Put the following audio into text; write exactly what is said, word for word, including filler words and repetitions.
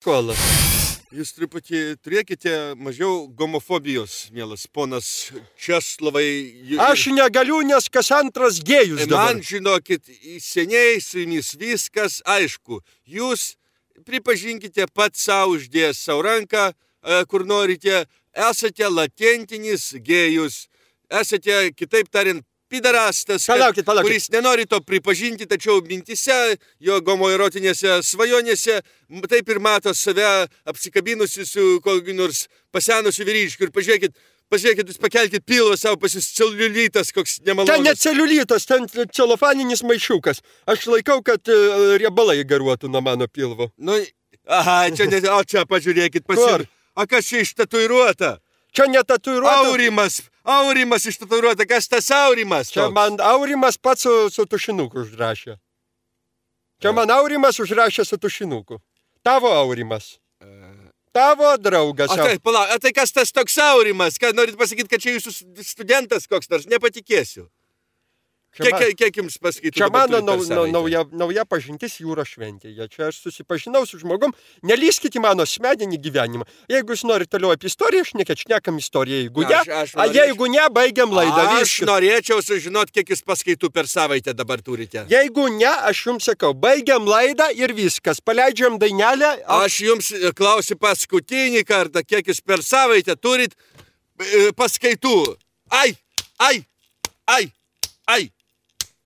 Kola. Jūs truputį turėkite mažiau gomofobijos, mielas ponas Česlovai. Aš negaliu, nes kas antras gėjus dabar. Man, žinokit, seniai su jumis viskas aišku. Jūs pripažinkite pat savo uždėjęs savo ranką, kur norite, esate latentinis gėjus, esate, kitaip tariant, pidarastas, palaukit, palaukit. kuris nenori to pripažinti, tačiau mintise, jo homoerotinėse svajonėse, taip ir mato save apsikabinusi su kokiu nors pasenusiu vyriškiu. Ir pažiūrėkit, pažiūrėkit, jūs pakelkit pilvą savo, pas jūs celiulitas, koks nemalonus. Ten ne celiulitas, ten celofaninis maišiukas. Aš laikau, kad riebalai garuotų nuo mano pilvo. Nu, aha, čia, ne, o čia pažiūrėkit, pasiūr. O kas čia ištatuiruota? Čia netatuiruota. Aurimas, Aurimas ištatuiruota. Kas tas Aurimas? Čia toks? Man Aurimas pats su, su tušinuku užrašė. Čia man Aurimas užrašė su tušinuku. Tavo Aurimas. Tavo draugas. O tai, palauk, o tai kas tas toks Aurimas? Ką norit pasakyti, kad čia jūsų studentas koks nors? Nepatikėsiu. Kiek, man, kiek jums pasakytų? Čia mano nau, nau, nauja, nauja pažintis jūros šventėje. Čia aš susipažinau su žmogum. Nelyskit į mano asmeninį gyvenimą. Jeigu jūs norite toliau apie istoriją, aš nekėt šnekam istoriją. Jeigu ne, aš, aš a jeigu ne, baigiam laidą. Aš viskas. Norėčiau sužinoti, kiek jūs paskaitų per savaitę dabar turite. Jeigu ne, aš jums sakau, baigiam laidą ir viskas. Paleidžiam dainelę. A... Aš jums klausiu paskutinį kartą, kiek jūs per savaitę turit paskaitų. Ai, ai, ai, ai.